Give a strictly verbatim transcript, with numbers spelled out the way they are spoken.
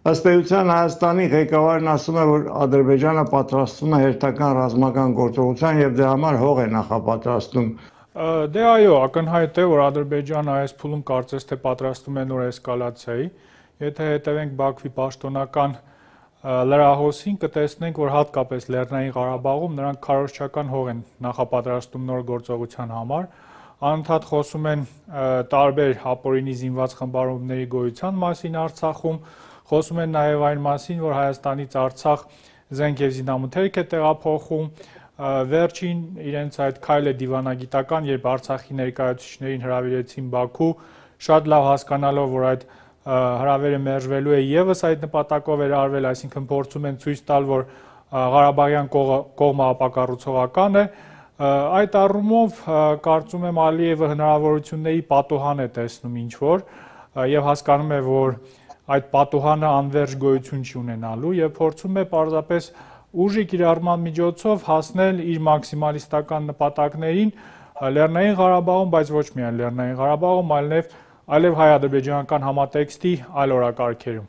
Ըստ էության Հայաստանի ղեկավարն ասում է, որ Ադրբեջանը պատրաստվում է հերթական ռազմական գործողության եւ դրա համար հող է նախապատրաստում։ Դե այո, ակնհայտ է, որ Ադրբեջանը այս փուլում կարծես թե պատրաստում է նոր էսկալացիայի։ Եթե հետևենք Բաքվի պաշտոնական լրահոսին, կտեսնենք, որ հատկապես Լեռնային Ղարաբաղում նրանք քարոզչական հող են նախապատրաստում նոր գործողության համար։ Անընդհատ խոսում են տարբեր ապօրինի զինված խմբավորումների գոյության մասին Արցախում, խոսում են նաև այն մասին, որ Հայաստանից Արցախ զենք եւ զինամթերք է տեղափոխում։ Վերջին իրենց այդ քայլը դիվանագիտական, երբ Արցախի ներկայացուցիչներին հրավիրեցին Բաքու, շատ լավ հասկանալով, որ այդ հրավերը մերժվելու է եւս այդ նպատակով էր արվել, այսինքն փորձում են ցույց տալ, որ Ղարաբաղյան կողմը ապակառուցողական է։ Այդ առումով կարծում եմ Ալիևը հնարավորությունների պատուհան է տեսնում ինչ-որ եւ հասկանում է, որ այդ պատուհանը անվերջ գոյություն չի ունենալու եւ փորձում է պարզապես ուժի կիրառման միջոցով հասնել իր մաքսիմալիստական նպատակներին Լեռնային Ղարաբաղում, բայց ոչ միայն Լեռնային Ղարաբաղում, այլև այլև հայ-ադրբեջանական համատեքստի այլ օրակարգերում։